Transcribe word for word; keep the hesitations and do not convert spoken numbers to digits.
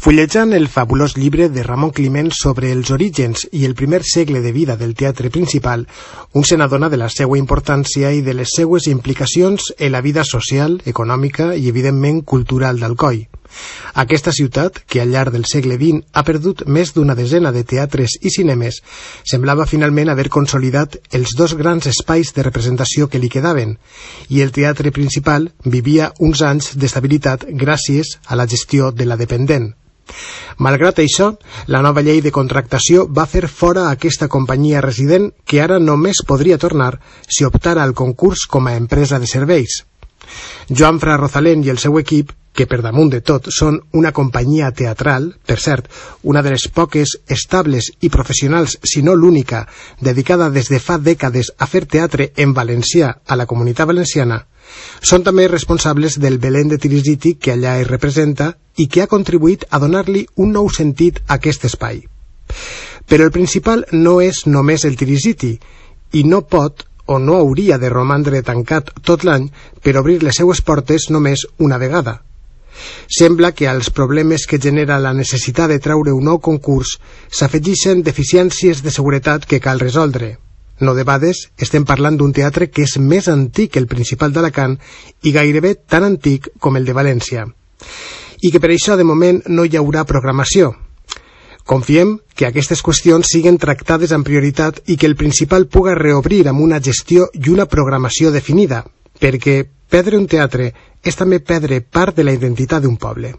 Fullejant el fabulós llibre de Ramon Climent sobre els orígens i el primer segle de vida del teatre principal, un se n'adona de la seva importància i de les seues implicacions en la vida social, econòmica i, evidentment, cultural d'Alcoi. Aquesta ciutat, que al llarg del segle vint ha perdut més d'una desena de teatres i cinemes, semblava finalment haver consolidat els dos grans espais de representació que li quedaven, i el teatre principal vivia uns anys d'estabilitat gràcies a la gestió de la dependent. Malgrat això, la nova llei de contractació va fer fora aquesta companyia resident que ara només podria tornar si optara al concurs com a empresa de serveis. Joan Fra Rosalén i el seu equip, que per damunt de tot són una companyia teatral, per cert, una de les poques estables i professionals, si no l'única, dedicada des de fa dècades a fer teatre en valencià a la Comunitat Valenciana, són també responsables del Belén de Tirisiti que allà es representa i que ha contribuït a donar-li un nou sentit a aquest espai. Però el principal no és només el Tirisiti, i no pot o no hauria de romandre tancat tot l'any per obrir les seues portes només una vegada. Sembla que als problemes que genera la necessitat de treure un nou concurs s'afegeixen deficiències de seguretat que cal resoldre. No debades estem parlant d'un teatre que és més antic que el principal d'Alacant i gairebé tan antic com el de València. I que per això de moment no hi haurà programació. Confiem que aquestes qüestions siguen tractades amb prioritat i que el principal puga reobrir amb una gestió i una programació definida, perquè perdre un teatre és també perdre part de la identitat d'un poble.